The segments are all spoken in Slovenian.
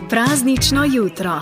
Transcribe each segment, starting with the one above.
Praznično jutro.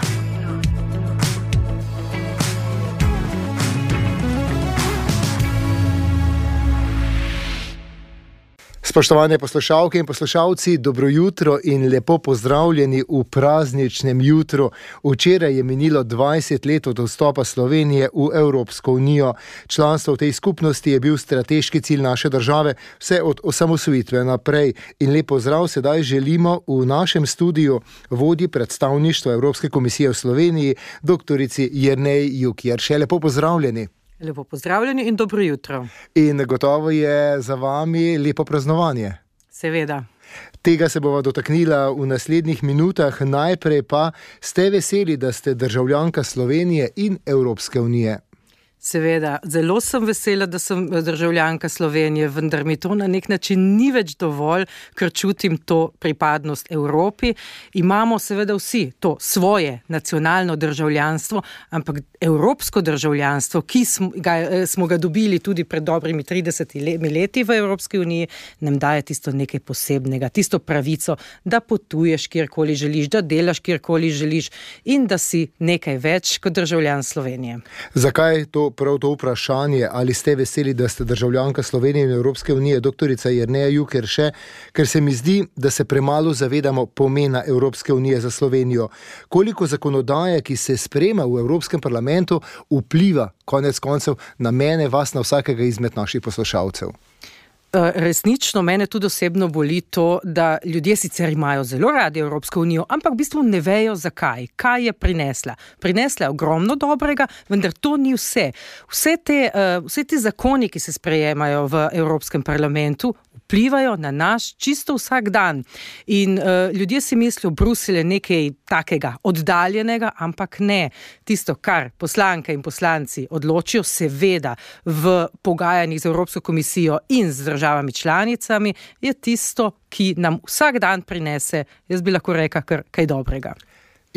Spoštovane poslušalke in poslušalci, dobro jutro in lepo pozdravljeni v prazničnem jutru. Včeraj je minilo 20 let od vstopa Slovenije v Evropsko unijo. Članstvo v tej skupnosti je bil strateški cilj naše države vse od osamosvojitve naprej. In lep pozdrav sedaj želimo v našem studiu vodji predstavništva Evropske komisije v Sloveniji, doktorici Jerneji Juk-Jerše. Lepo pozdravljeni. Lepo pozdravljeni in dobro jutro. In gotovo je za vami lepo praznovanje. Seveda. Tega se bova dotaknila v naslednjih minutah. Najprej pa, ste veseli, da ste državljanka Slovenije in Evropske unije? Seveda, zelo sem vesela, da sem državljanka Slovenije, vendar mi to na nek način ni več dovolj, ker čutim to pripadnost Evropi. Imamo seveda vsi to svoje nacionalno državljanstvo, ampak evropsko državljanstvo, ki smo ga dobili tudi pred dobrimi 30 leti v Evropski uniji, nam daje tisto nekaj posebnega, tisto pravico, da potuješ kjerkoli želiš, da delaš kjerkoli želiš in da si nekaj več kot državljan Slovenije. Zakaj prav to vprašanje, ali ste veseli, da ste državljanka Slovenije in Evropske unije, doktorica Jerneja Juk-Jerše, ker se mi zdi, da se premalo zavedamo pomena Evropske unije za Slovenijo. Koliko zakonodaje, ki se sprejema v Evropskem parlamentu, vpliva konec koncev na mene, vas, na vsakega izmed naših poslušalcev? Resnično mene tudi osebno boli to, da ljudje sicer imajo zelo radi Evropsko unijo, ampak v bistvu ne vejo zakaj, kaj je prinesla. Prinesla je ogromno dobrega, vendar to ni vse. Vse te zakoni, ki se sprejemajo v Evropskem parlamentu, vplivajo na naš čisto vsak dan. In ljudje si mislijo, Bruselj je nekaj takega oddaljenega, ampak ne. Tisto, kar poslanke in poslanci odločijo, seveda v pogajanjih z Evropsko komisijo in z državami članicami, je tisto, ki nam vsak dan prinese, jaz bi lahko rekla, kar kaj dobrega.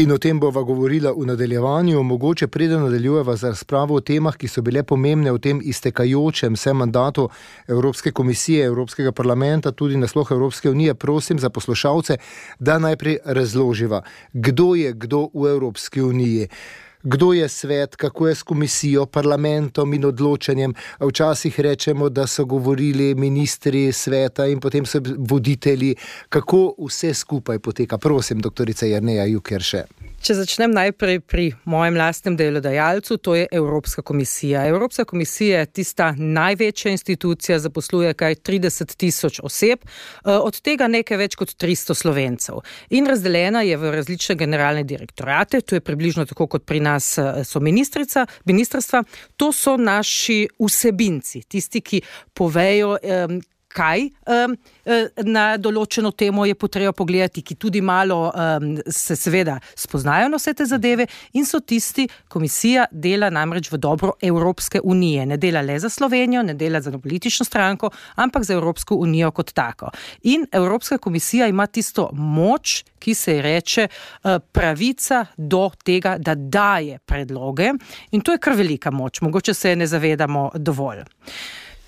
In o tem bova govorila v nadaljevanju. Mogoče preden nadaljujeva z razpravo o temah, ki so bile pomembne v tem iztekajočem se mandatu Evropske komisije, Evropskega parlamenta, tudi nasploh Evropske unije, prosim za poslušalce, da najprej razloživa, kdo je kdo v Evropski uniji. Kdo je svet, kako je s komisijo, parlamentom in odločanjem. Včasih rečemo, da so govorili ministri sveta in potem so voditelji. Kako vse skupaj poteka? Prosim, doktorica Jerneja Juk-Jerše. Če začnem najprej pri mojem lastnem delodajalcu, to je Evropska komisija. Evropska komisija je tista največja institucija, zaposluje kaj 30,000 oseb, od tega nekaj več kot 300 Slovencev. In razdeljena je v različne generalne direktorate, to je približno tako kot pri nas so ministrstva, to so naši vsebinci, tisti, ki povejo, kaj na določeno temo je potreba pogledati, ki tudi malo se seveda spoznajo na vse te zadeve in so tisti, komisija dela namreč v dobro Evropske unije. Ne dela le za Slovenijo, ne dela za politično stranko, ampak za Evropsko unijo kot tako. In Evropska komisija ima tisto moč, ki se ji reče pravica do tega, da daje predloge in to je kar velika moč, mogoče se ne zavedamo dovolj.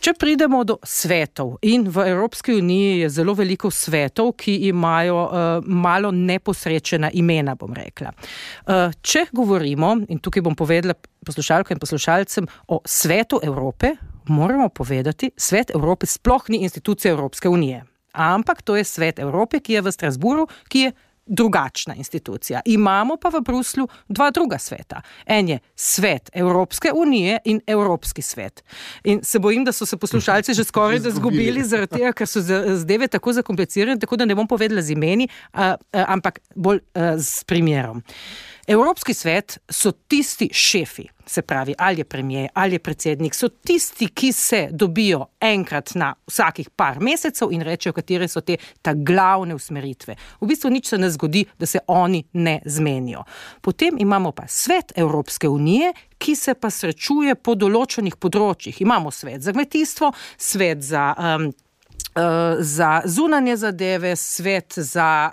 Če pridemo do svetov in v Evropski uniji je zelo veliko svetov, ki imajo malo neposrečena imena, bom rekla. Če govorimo, in tukaj bom povedala poslušalkam in poslušalcem o Svetu Evrope, moramo povedati, Svet Evrope sploh ni institucija Evropske unije. Ampak to je Svet Evrope, ki je v Strasbourgu, ki je drugačna institucija. Imamo pa v Bruslju dva druga sveta. En je Svet Evropske unije in Evropski svet. In se bojim, da so se poslušalci že skoraj izgubili zaradi tega, ker so zadeve tako zakomplicirane, tako da ne bom povedala z imeni, ampak bolj s primerom. Evropski svet so tisti šefi, se pravi, ali je premier, ali je predsednik, so tisti, ki se dobijo enkrat na vsakih par mesecev in rečejo, katere so te glavne usmeritve. V bistvu nič se ne zgodi, da se oni ne zmenijo. Potem imamo pa Svet Evropske unije, ki se pa srečuje po določenih področjih. Imamo svet za kmetijstvo, svet za zunanje zadeve, svet za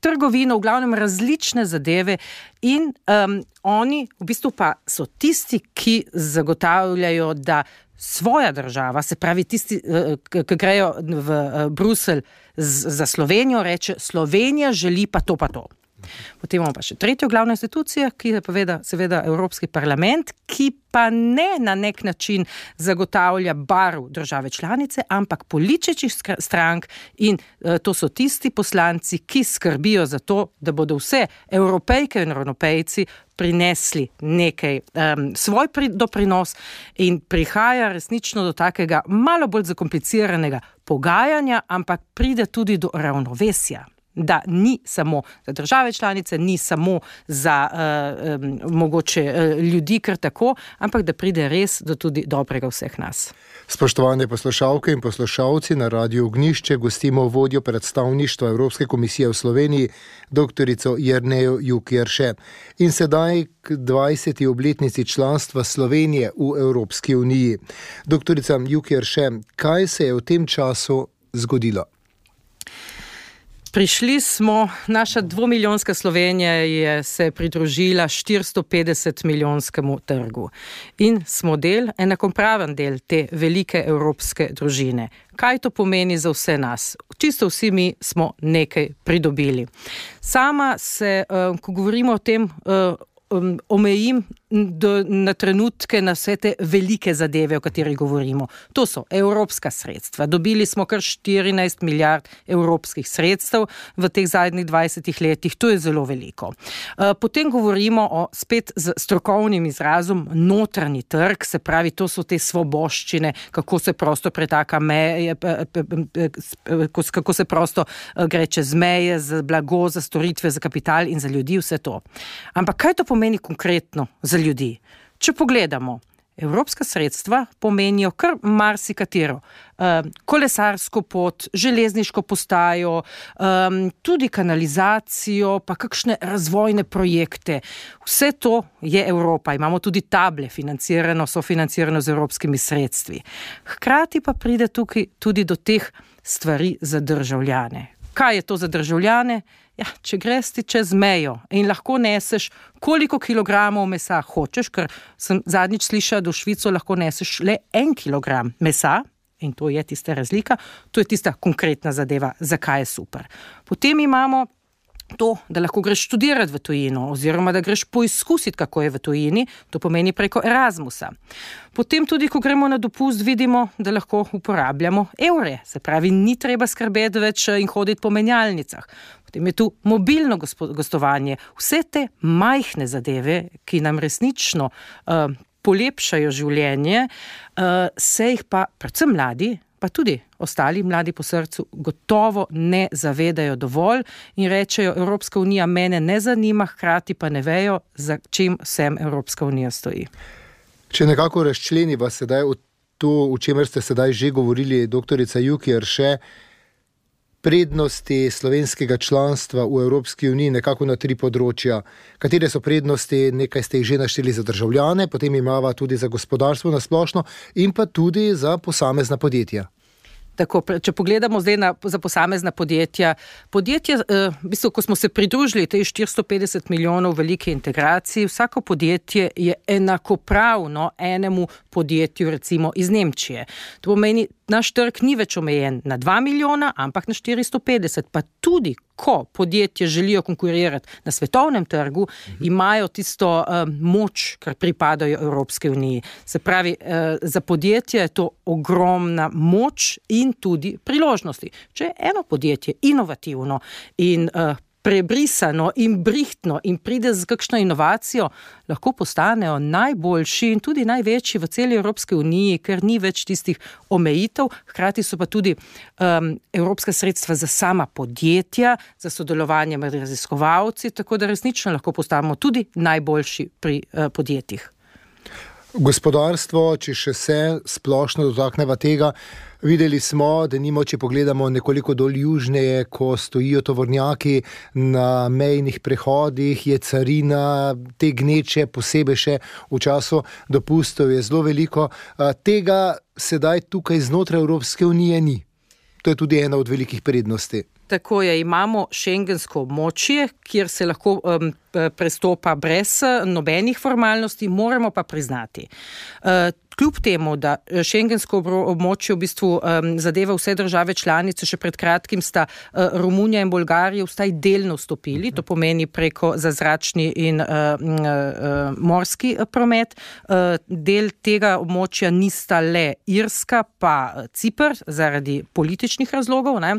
trgovino, v glavnem različne zadeve in oni v bistvu pa so tisti, ki zagotavljajo, da svoja država, se pravi tisti, ki grejo v Bruselj za Slovenijo, reče, Slovenija želi pa to. Potem imamo pa še tretjo glavno institucijo, ki je seveda Evropski parlament, ki pa ne na nek način zagotavlja barv države članice, ampak političnih strank in to so tisti poslanci, ki skrbijo za to, da bodo vse Evropejke in Evropejci prinesli nekaj svoj doprinos in prihaja resnično do takega malo bolj zakompliciranega pogajanja, ampak pride tudi do ravnovesja. Da ni samo za države članice, ni samo za mogoče ljudi kar tako, ampak da pride res do tudi dobrega vseh nas. Spoštovane poslušalke in poslušalci, na Radiu Ognjišče gostimo vodjo predstavništva Evropske komisije v Sloveniji, doktorico Jernejo Juk-Jerše. In sedaj k 20. obletnici članstva Slovenije v Evropski uniji. Doktorica Juk-Jerše, kaj se je v tem času zgodilo? Prišli smo, naša 2-milijonska Slovenija se pridružila 450-milijonskemu trgu in smo enakopraven del te velike evropske družine. Kaj to pomeni za vse nas? Čisto vsi mi smo nekaj pridobili. Sama se, ko govorimo o tem, omejim na trenutke na vse te velike zadeve, o katerih govorimo. To so evropska sredstva. Dobili smo kar 14 milijard evropskih sredstev v teh zadnjih 20 letih. To je zelo veliko. Potem govorimo o spet z strokovnim izrazom notranji trg, se pravi, to so te svoboščine, kako se prosto pretaka meje, kako se prosto gre čez meje za blago, za storitve, za kapital in za ljudi, vse to. Ampak kaj to pomeni konkretno za ljudi? Če pogledamo, evropska sredstva pomenijo kar marsikatero. Kolesarsko pot, železniško postajo, tudi kanalizacijo, pa kakšne razvojne projekte. Vse to je Evropa. Imamo tudi table sofinancirano z evropskimi sredstvi. Hkrati pa pride tukaj tudi do teh stvari za državljane. Kaj je to za državljane? Ja, če greš ti čez mejo in lahko neseš koliko kilogramov mesa hočeš, ker sem zadnjič slišala, da v Švico lahko neseš le 1 kilogram mesa, in to je tista razlika, to je tista konkretna zadeva, zakaj je super. Potem imamo to, da lahko greš študirati v tujino, oziroma da greš poizkusiti, kako je v tujini, to pomeni preko Erasmusa. Potem tudi, ko gremo na dopust, vidimo, da lahko uporabljamo evre, se pravi, ni treba skrbeti več in hoditi po menjalnicah. Potem je tu mobilno gostovanje. Vse te majhne zadeve, ki nam resnično polepšajo življenje, se jih pa predvsem mladi, pa tudi ostali mladi po srcu gotovo ne zavedajo dovolj in rečejo, Evropska unija mene ne zanima, hkrati pa ne vejo, za čim vsem Evropska unija stoji. Če nekako razčleniva sedaj to, o čemer ste sedaj že govorili, doktorica Juk-Jerše, prednosti slovenskega članstva v Evropski uniji nekako na 3 področja. Katere so prednosti, nekaj ste jih že našteli za državljane, potem imava tudi za gospodarstvo na splošno in pa tudi za posamezna podjetja. Tako, če pogledamo zdaj za posamezna podjetja, v bistvu, ko smo se pridružili tej 450 milijonov velike integraciji, vsako podjetje je enakopravno enemu podjetju, recimo iz Nemčije. To pomeni, naš trg ni več omejen na 2 milijona, ampak na 450, pa tudi ko podjetje želijo konkurirati na svetovnem trgu, imajo tisto moč, kar pripadajo Evropske uniji. Se pravi, za podjetje je to ogromna moč in tudi priložnosti. Če je eno podjetje inovativno in prebrisano in brihtno in pride z kakšno inovacijo, lahko postanejo najboljši in tudi največji v celi Evropske uniji, ker ni več tistih omejitev, hkrati so pa tudi evropska sredstva za sama podjetja, za sodelovanje med raziskovalci, tako da resnično lahko postanemo tudi najboljši pri podjetjih. Gospodarstvo, če še se splošno dotakneva tega, videli smo, da če pogledamo nekoliko dol južneje, ko stojijo tovornjaki na mejnih prehodih, je carina, te gneče, posebej še v času dopustov je zelo veliko. Tega sedaj tukaj znotraj Evropske unije ni. To je tudi ena od velikih prednosti. Tako je, imamo šengensko območje, kjer se lahko prestopa brez nobenih formalnosti, moramo pa priznati. kljub temu, da šengensko območje v bistvu zadeva vse države članice, še pred kratkim sta Romunija in Bolgarija vstaj delno vstopili, to pomeni preko zazračni in morski promet. Del tega območja nista le Irska, pa Cipr, zaradi političnih razlogov, ne.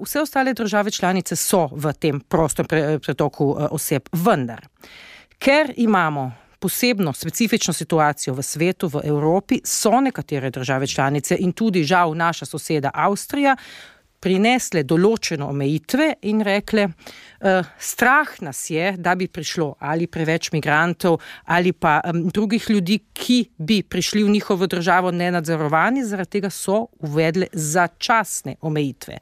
Vse ostale države članice so v tem prostem pretoku oseb, vendar. Ker imamo posebno, specifično situacijo v svetu, v Evropi, so nekatere države članice in tudi žal naša soseda Avstrija prinesle določene omejitve in rekle, strah nas je, da bi prišlo ali preveč migrantov ali pa drugih ljudi, ki bi prišli v njihovo državo nenadzorovani, zaradi tega so uvedle začasne omejitve.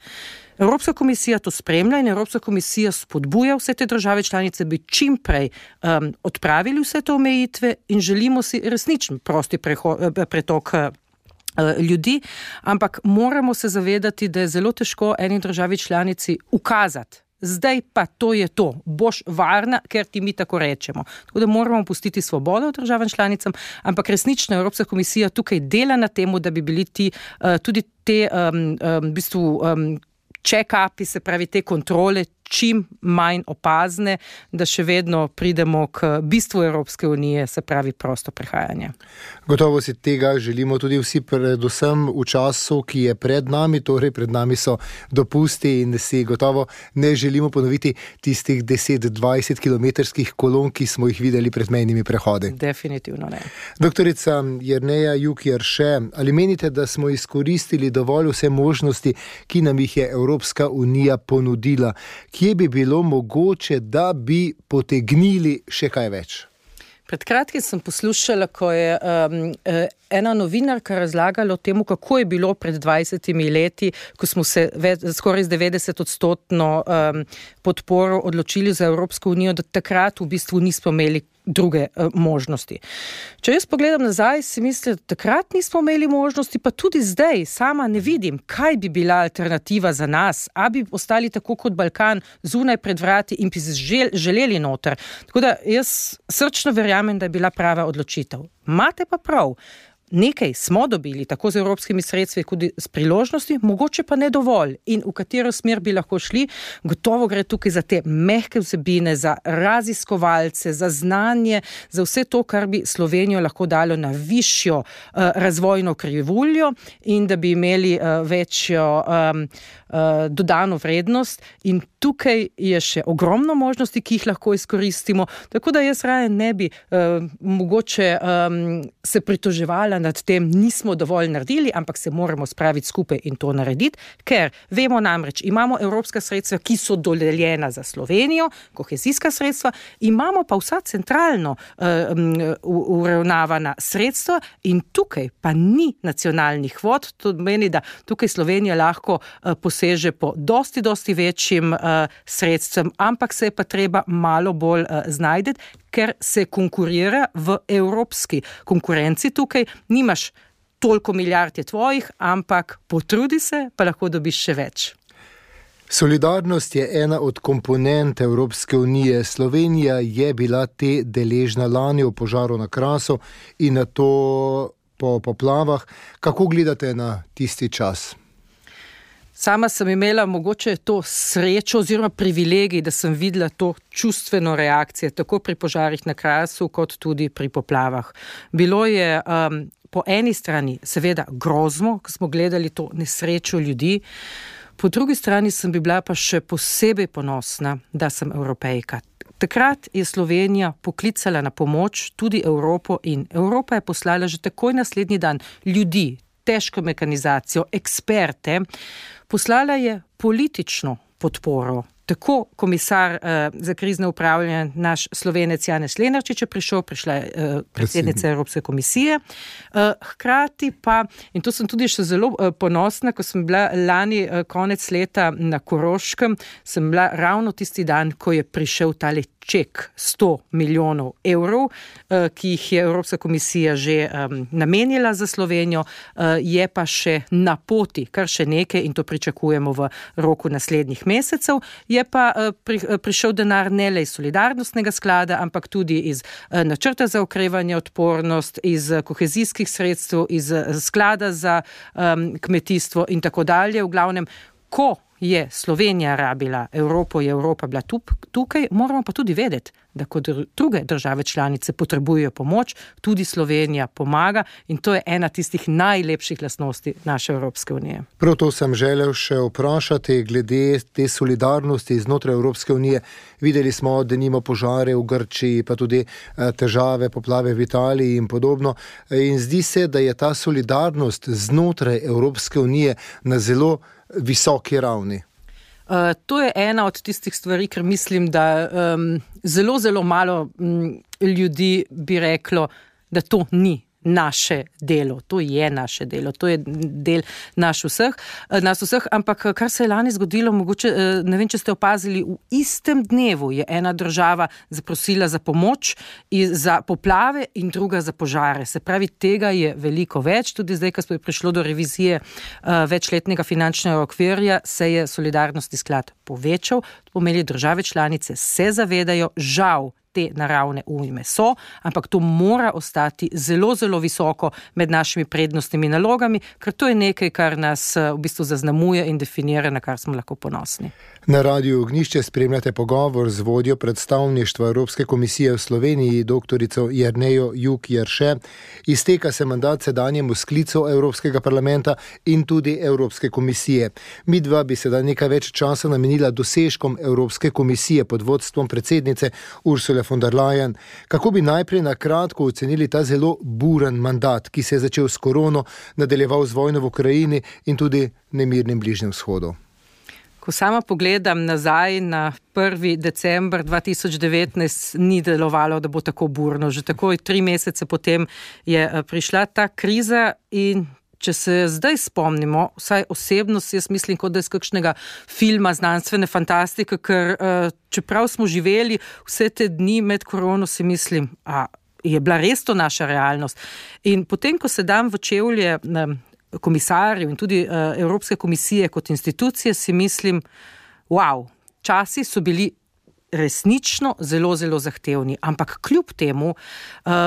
Evropska komisija to spremlja in Evropska komisija spodbuja vse te države članice, bi čim prej odpravili vse te omejitve in želimo si resničen prosti pretok ljudi, ampak moramo se zavedati, da je zelo težko eni državi članici ukazati. Zdaj pa to je to, boš varna, ker ti mi tako rečemo. Tako da moramo pustiti svobodo državam članicam, ampak resnično Evropska komisija tukaj dela na temu, da bi bili tudi te v bistvu check-upi, se pravi te kontrole, čim manj opazne, da še vedno pridemo k bistvu Evropske unije, se pravi prosto prehajanje. Gotovo si tega želimo tudi vsi, predvsem v času, ki je pred nami, torej pred nami so dopusti in si gotovo ne želimo ponoviti tistih 10-20 kilometrskih kolon, ki smo jih videli pred mejnimi prehodi. Definitivno ne. Doktorica Jerneja Juk-Jerše, ali menite, da smo izkoristili dovolj vse možnosti, ki nam jih je Evropska unija ponudila? Kje bi bilo mogoče, da bi potegnili še kaj več? Pred kratkim sem poslušala, ko je ena novinarka razlagala o temu, kako je bilo pred 20 leti, ko smo se skoraj 90% podporo odločili za Evropsko unijo, da takrat v bistvu nismo imeli druge možnosti. Če jaz pogledam nazaj, si mislim, da takrat nismo imeli možnosti, pa tudi zdaj sama ne vidim, kaj bi bila alternativa za nas, a bi ostali tako kot Balkan zunaj pred vrati in bi želeli noter. Tako da jaz srčno verjamem, da je bila prava odločitev. Imate pa prav. Nekaj smo dobili, tako z evropskimi sredstvi, kot s priložnosti, mogoče pa ne dovolj. In v katero smer bi lahko šli, gotovo gre tukaj za te mehke vsebine, za raziskovalce, za znanje, za vse to, kar bi Slovenijo lahko dalo na višjo razvojno krivuljo in da bi imeli večjo dodano vrednost. In tukaj je še ogromno možnosti, ki jih lahko izkoristimo. Tako da jaz raje ne bi mogoče se pritoževala nad tem, nismo dovolj naredili, ampak se moramo spraviti skupaj in to narediti, ker vemo namreč, imamo evropska sredstva, ki so dodeljena za Slovenijo, kohezijska sredstva, imamo pa vsa centralno uravnavana sredstva in tukaj pa ni nacionalnih kvot, to meni, da tukaj Slovenija lahko poseže po dosti večjim sredstvem, ampak se je pa treba malo bolj znajdeti, ker se konkurira v evropski konkurenci tukaj. Nimaš toliko milijard je tvojih, ampak potrudi se, pa lahko dobiš še več. Solidarnost je ena od komponent Evropske unije. Slovenija je bila te deležna lani v požaru na Krasu in na to po poplavah. Kako gledate na tisti čas? Sama sem imela mogoče to srečo oziroma privilegij, da sem videla to čustveno reakcijo, tako pri požarih na Krasu, kot tudi pri poplavah. Bilo je po eni strani seveda grozno, ko smo gledali to nesrečo ljudi, po drugi strani sem bila pa še posebej ponosna, da sem Evropejka. Takrat je Slovenija poklicala na pomoč tudi Evropo in Evropa je poslala že takoj naslednji dan ljudi, težko mekanizacijo, eksperte, poslala je politično podporo. Tako komisar za krizno upravljanje, naš Slovenec Janez Lenarčič je prišla je predsednica Evropske komisije. Hkrati pa, in to sem tudi še zelo ponosna, ko sem bila lani konec leta na Koroškem, sem bila ravno tisti dan, ko je prišel tale ček 100 milijonov evrov, ki jih je Evropska komisija že namenila za Slovenijo, je pa še na poti, kar še nekaj in to pričakujemo v roku naslednjih mesecev. je pa prišel denar ne le iz solidarnostnega sklada, ampak tudi iz načrta za okrevanje, odpornost, iz kohezijskih sredstev, iz sklada za kmetijstvo in tako dalje. V glavnem, ko je Slovenija rabila Evropo, je Evropa bila tukaj, moramo pa tudi vedeti, da kot druge države članice potrebujejo pomoč, tudi Slovenija pomaga in to je ena tistih najlepših lastnosti naše Evropske unije. Prav to sem želel še vprašati glede te solidarnosti znotraj Evropske unije. Videli smo, da nima požare v Grčiji, pa tudi težave, poplave v Italiji in podobno. In zdi se, da je ta solidarnost znotraj Evropske unije na zelo visoki ravni. To je ena od tistih stvari, ker mislim, da zelo, zelo malo ljudi bi reklo, da to ni naše delo. To je naše delo, to je del nas vseh, ampak kar se je lani zgodilo, mogoče, ne vem, če ste opazili, v istem dnevu je ena država zaprosila za pomoč za poplave in druga za požare. Se pravi, tega je veliko več. Tudi zdaj, ko je prišlo do revizije večletnega finančnega okvirja, se je solidarnostni sklad povečal. To pomeni, države članice se zavedajo, žal, te naravne ujme so, ampak to mora ostati zelo, zelo visoko med našimi prednostnimi nalogami, ker to je nekaj, kar nas v bistvu zaznamuje in definira, na kar smo lahko ponosni. Na Radiu Ognjišče spremljate pogovor z vodjo predstavništva Evropske komisije v Sloveniji, doktorico Jernejo Juk Jerše. Izteka se mandat sedanjemu sklicu Evropskega parlamenta in tudi Evropske komisije. Midva bi sedaj nekaj več časa namenila dosežkom Evropske komisije pod vodstvom predsednice Ursule von der Leyen. Kako bi najprej na kratko ocenili ta zelo buren mandat, ki se je začel s korono, nadaljeval z vojno v Ukrajini in tudi nemirnim Bližnjem vzhodu? Ko sama pogledam nazaj na 1. december 2019, ni delovalo, da bo tako burno. Že takoj 3 mesece potem je prišla ta kriza in če se zdaj spomnimo, vsaj osebno si jaz mislim, kot da je iz kakšnega filma znanstvene fantastike, ker čeprav smo živeli vse te dni med korono, si mislim, je bila res to naša realnost. In potem, ko se dam v čevlje komisarjev in tudi Evropske komisije kot institucije, si mislim, časi so bili resnično zelo, zelo zahtevni. Ampak kljub temu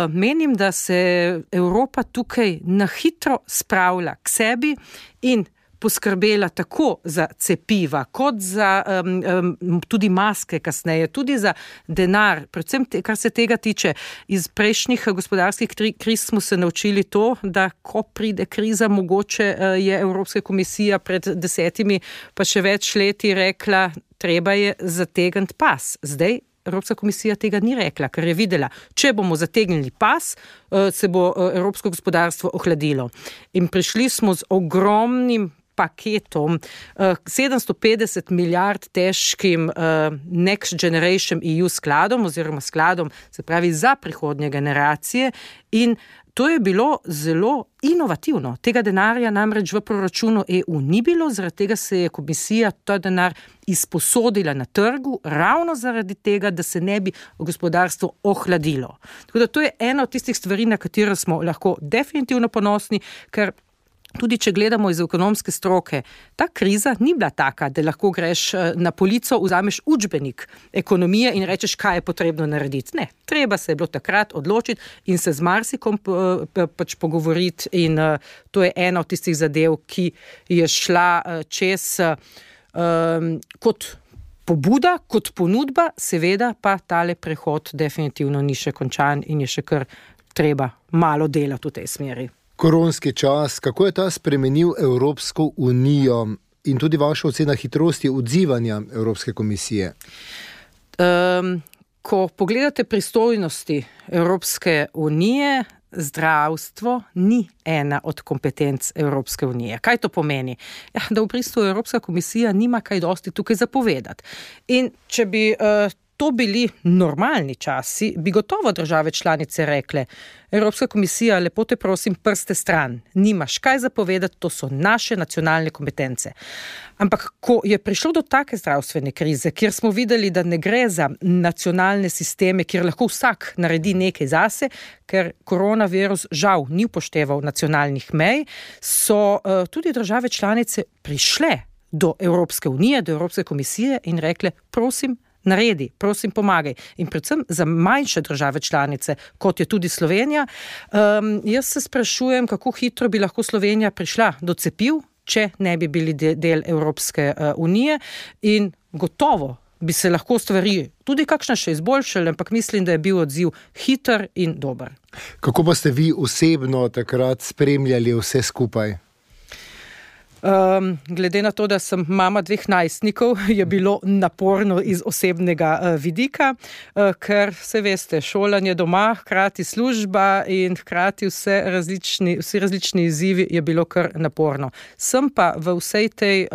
menim, da se Evropa tukaj na hitro spravlja k sebi in poskrbela tako za cepiva, kot za tudi maske kasneje, tudi za denar. Predvsem, kar se tega tiče, iz prejšnjih gospodarskih kriz smo se naučili to, da ko pride kriza, mogoče je Evropska komisija pred 10 pa še več leti rekla, treba je zategniti pas. Zdaj Evropska komisija tega ni rekla, ker je videla, če bomo zategnili pas, se bo evropsko gospodarstvo ohladilo. In prišli smo z ogromnim paketom, 750 milijard težkim Next Generation EU skladom oziroma skladom, se pravi za prihodnje generacije, in to je bilo zelo inovativno. Tega denarja namreč v proračunu EU ni bilo, zaradi tega se je komisija ta denar izposodila na trgu, ravno zaradi tega, da se ne bi gospodarstvo ohladilo. Tako da to je ena od tistih stvari, na katero smo lahko definitivno ponosni, ker tudi če gledamo iz ekonomske stroke, ta kriza ni bila taka, da lahko greš na polico, vzameš učbenik ekonomije in rečeš, kaj je potrebno narediti. Ne, treba se je bilo takrat odločiti in se z marsikom pač pogovoriti, in to je ena od tistih zadev, ki je šla čez kot pobuda, kot ponudba, seveda pa tale prehod definitivno ni še končan in je še kar treba malo delati v tej smeri. Koronski čas, kako je ta spremenil Evropsko unijo in tudi vaša ocena hitrosti odzivanja Evropske komisije? Ko pogledate pristojnosti Evropske unije, zdravstvo ni ena od kompetenc Evropske unije. Kaj to pomeni? Da v bistvu Evropska komisija nima kaj dosti tukaj zapovedati. In če bi to bili normalni časi, bi gotovo države članice rekle, Evropska komisija, lepo te prosim, prste stran, nimaš kaj zapovedati, to so naše nacionalne kompetence. Ampak ko je prišlo do take zdravstvene krize, kjer smo videli, da ne gre za nacionalne sisteme, kjer lahko vsak naredi nekaj zase, ker koronavirus žal ni upošteval nacionalnih mej, so tudi države članice prišle do Evropske unije, do Evropske komisije in rekle, prosim, naredi, prosim, pomagaj. In predvsem za manjše države članice, kot je tudi Slovenija. Jaz se sprašujem, kako hitro bi lahko Slovenija prišla do cepiv, če ne bi bili del Evropske unije, in gotovo bi se lahko stvari tudi kakšna še izboljšale, ampak mislim, da je bil odziv hiter in dober. Kako pa ste vi osebno takrat spremljali vse skupaj? Glede na to, da sem mama 2 najstnikov, je bilo naporno iz osebnega vidika, ker se veste, šolanje doma, hkrati služba in hkrati vsi različni izzivi je bilo kar naporno. Sem pa v vsej tej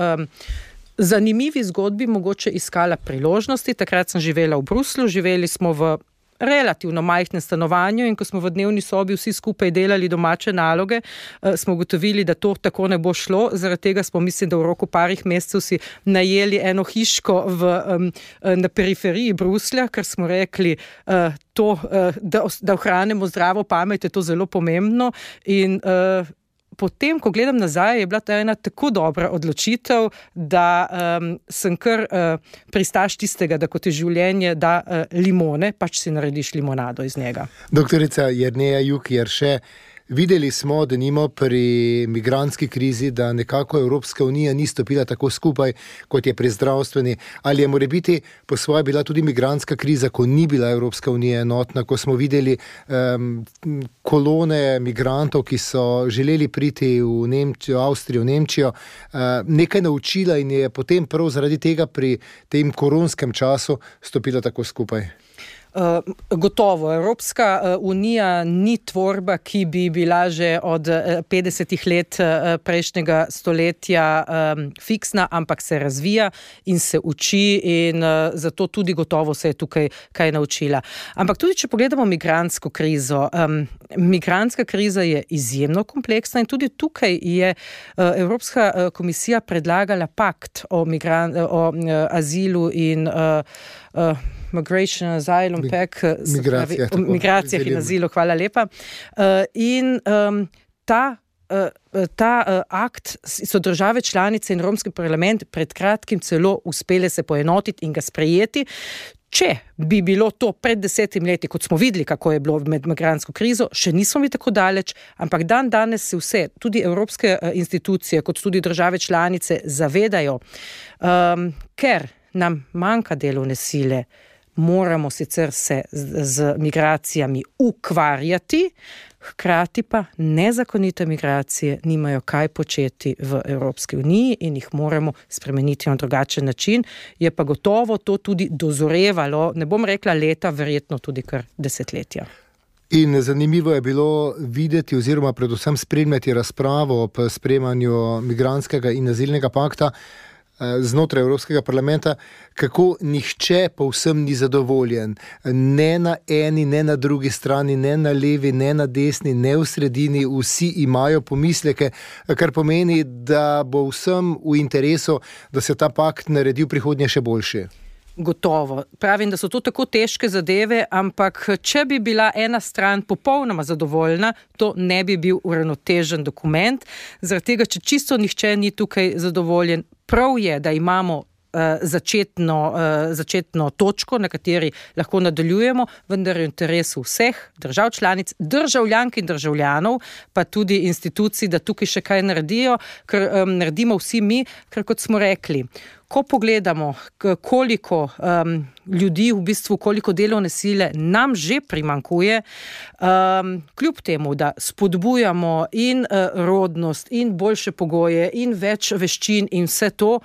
zanimivi zgodbi mogoče iskala priložnosti. Takrat sem živela v Bruslju, živeli smo v relativno majhnem stanovanju in ko smo v dnevni sobi vsi skupaj delali domače naloge, smo ugotovili, da to tako ne bo šlo. Zaradi tega smo, mislim, da v roku parih mesecev si najeli eno hiško na periferiji Bruslja, ker smo rekli, da ohranimo zdravo pamet, je to zelo pomembno. In potem, ko gledam nazaj, je bila ta ena tako dobra odločitev, da sem kar pristaš tistega, da kot je življenje, da limone, pač si narediš limonado iz njega. Doktorica Jerneja Juk Jerše, videli smo, da nimo pri migrantski krizi, da nekako Evropska unija ni stopila tako skupaj, kot je pri zdravstveni. Ali je morebiti po svoje bila tudi migrantska kriza, ko ni bila Evropska unija enotna, ko smo videli kolone migrantov, ki so želeli priti v Nemčijo, Avstrijo, Nemčijo, nekaj naučila in je potem prav zaradi tega pri tem koronskem času stopila tako skupaj? Gotovo, Evropska unija ni tvorba, ki bi bila že od 50 let prejšnjega stoletja fiksna, ampak se razvija in se uči in zato tudi gotovo se je tukaj kaj naučila. Ampak tudi, če pogledamo migrantsko krizo, migrantska kriza je izjemno kompleksna in tudi tukaj je Evropska komisija predlagala pakt o azilu in Migration, Asylum, migracijah in azilu, hvala lepa. In ta akt so države članice in Evropski parlament pred kratkim celo uspele se poenotiti in ga sprejeti. Če bi bilo to pred 10 leti, kot smo videli, kako je bilo med migrantsko krizo, še nismo bili tako daleč, ampak danes se vse, tudi evropske institucije, kot tudi države članice zavedajo, ker nam manjka delovne sile, moramo sicer se z migracijami ukvarjati, hkrati pa nezakonite migracije nimajo kaj početi v Evropski uniji in jih moramo spremeniti na drugačen način. Je pa gotovo to tudi dozorevalo, ne bom rekla leta, verjetno tudi kar desetletja. In zanimivo je bilo videti oziroma predvsem spremljati razpravo ob sprejemanju migrantskega in azilnega pakta znotraj Evropskega parlamenta, kako nihče povsem ni zadovoljen. Ne na eni, ne na drugi strani, ne na levi, ne na desni, ne v sredini, vsi imajo pomisleke, kar pomeni, da bo vsem v interesu, da se ta pakt naredi v prihodnje še boljši. Gotovo. Pravim, da so to tako težke zadeve, ampak če bi bila ena stran popolnoma zadovoljna, to ne bi bil uravnotežen dokument. Zaradi tega, če čisto nihče ni tukaj zadovoljen, prav je, da imamo začetno točko, na kateri lahko nadaljujemo, vendar je v interesu vseh držav članic, državljank in državljanov, pa tudi institucij, da tukaj še kaj naredijo, ker naredimo vsi mi, ker kot smo rekli, ko pogledamo, koliko ljudi, v bistvu koliko delovne sile nam že primanjkuje, kljub temu, da spodbujamo in rodnost, in boljše pogoje, in več veščin in vse to,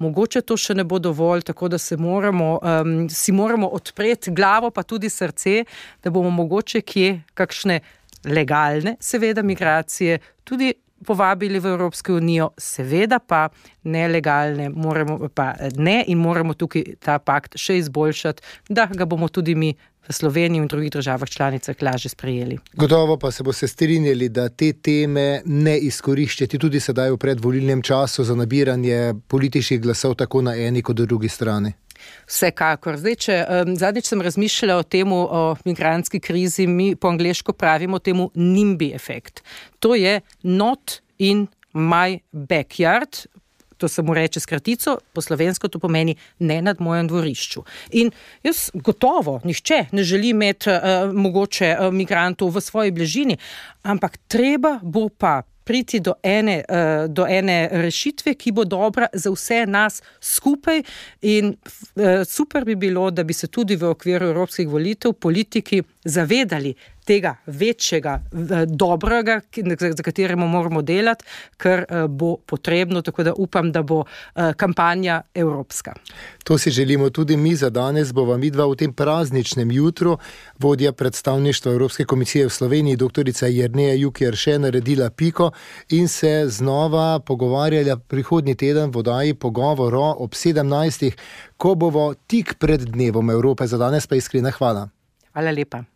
mogoče to še ne bo dovolj, tako da si moramo odpreti glavo, pa tudi srce, da bomo mogoče kje kakšne legalne, seveda, migracije tudi povabili v Evropsko unijo, seveda pa nelegalne, moramo tukaj ta pakt še izboljšati, da ga bomo tudi mi v Sloveniji in drugih državah članicah lažje sprejeli. Gotovo pa se boste strinjali, da te teme ne izkoriščati tudi sedaj v predvolilnem času za nabiranje političnih glasov tako na eni kot drugi strani. Vsekakor. Zadnjič sem razmišljala o temu, o migrantski krizi, mi po angleško pravimo temu NIMBY efekt. To je not in my backyard. to se mu reče skratico, po slovensko to pomeni ne nad mojem dvorišču. In jaz gotovo, nihče ne želi imeti mogoče migrantov v svoji bližini, ampak treba bo pa priti do ene rešitve, ki bo dobra za vse nas skupaj in super bi bilo, da bi se tudi v okviru evropskih volitev politiki zavedali tega večjega dobrega, za kateremu moramo delati, ker bo potrebno, tako da upam, da bo kampanja evropska. To si želimo tudi mi. Za danes bova midva v tem prazničnem jutru vodja predstavništva Evropske komisije v Sloveniji, doktorica Jerneja Jukić, naredila piko in se znova pogovarjala prihodnji teden v oddaji Pogovor ob 17. ko bomo tik pred dnevom Evrope. Za danes pa iskrena hvala. Hvala lepa.